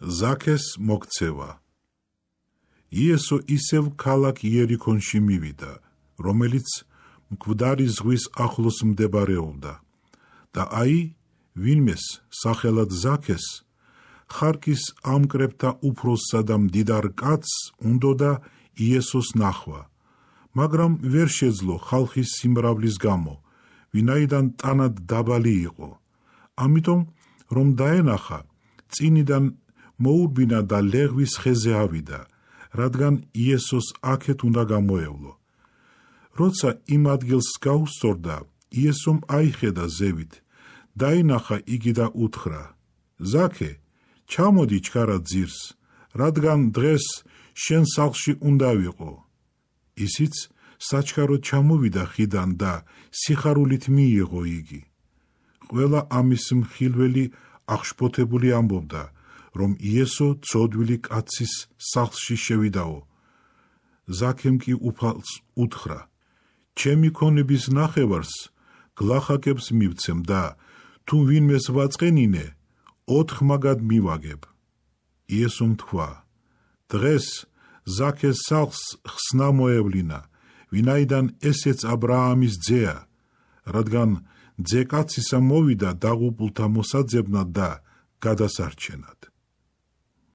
ზაქეს მოქცევა. იესო ისევ ქალაქ იერიქონში მივიდა, რომელიც მკვდარი ზღვის ახლოს მდებარეობდა და ვინმეს სახელად ზაქეს ხარკის ამკრებთა უფროსსა და მდიდარ კაცს უნდოდა იესოს ნახვა, მაგრამ ვერ შეძლო ხალხის სიმრავლის გამო, ვინაიდან ტანად დაბალი იყო. ამიტომ რომ დაენახა, წინიდან მოურბინა და ლეღვის ხეზე ავიდა, რადგან იესოს აქეთ უნდა გამოევლო. როცა იმ ადგილს გაუსწორდა, იესომ აიხედა ზევით, დაინახა იგი და უთხრა: ზაქე, ჩამოდი ჩქარად ძირს, რადგან დღეს შენ სახლში უნდა ვიყო. ისიც საჩქაროდ ჩამოვიდა ხიდან და სიხარულით მიიღო იგი. ყველა ამის მხილველი აღშფოთებული ამბობდა, რომ იესო ცოდვილი კაცის სახლში შევიდაო. ზაქემ კი უფალს უთხრა: ჩემი ქონების ნახევარს გლახაკებს მივცემ და თუ ვინმეს ვაწყენინე, 4 მაგად მივაგებ. იესომ თქვა: დღეს ზაქეს სახლს ხსნა მოევლინა, ვინაიდან ესეც აბრაამის ძეა, რადგან ძე კაცისა მოვიდა დაღუპულთა მოსაძებნად და გადასარჩენად.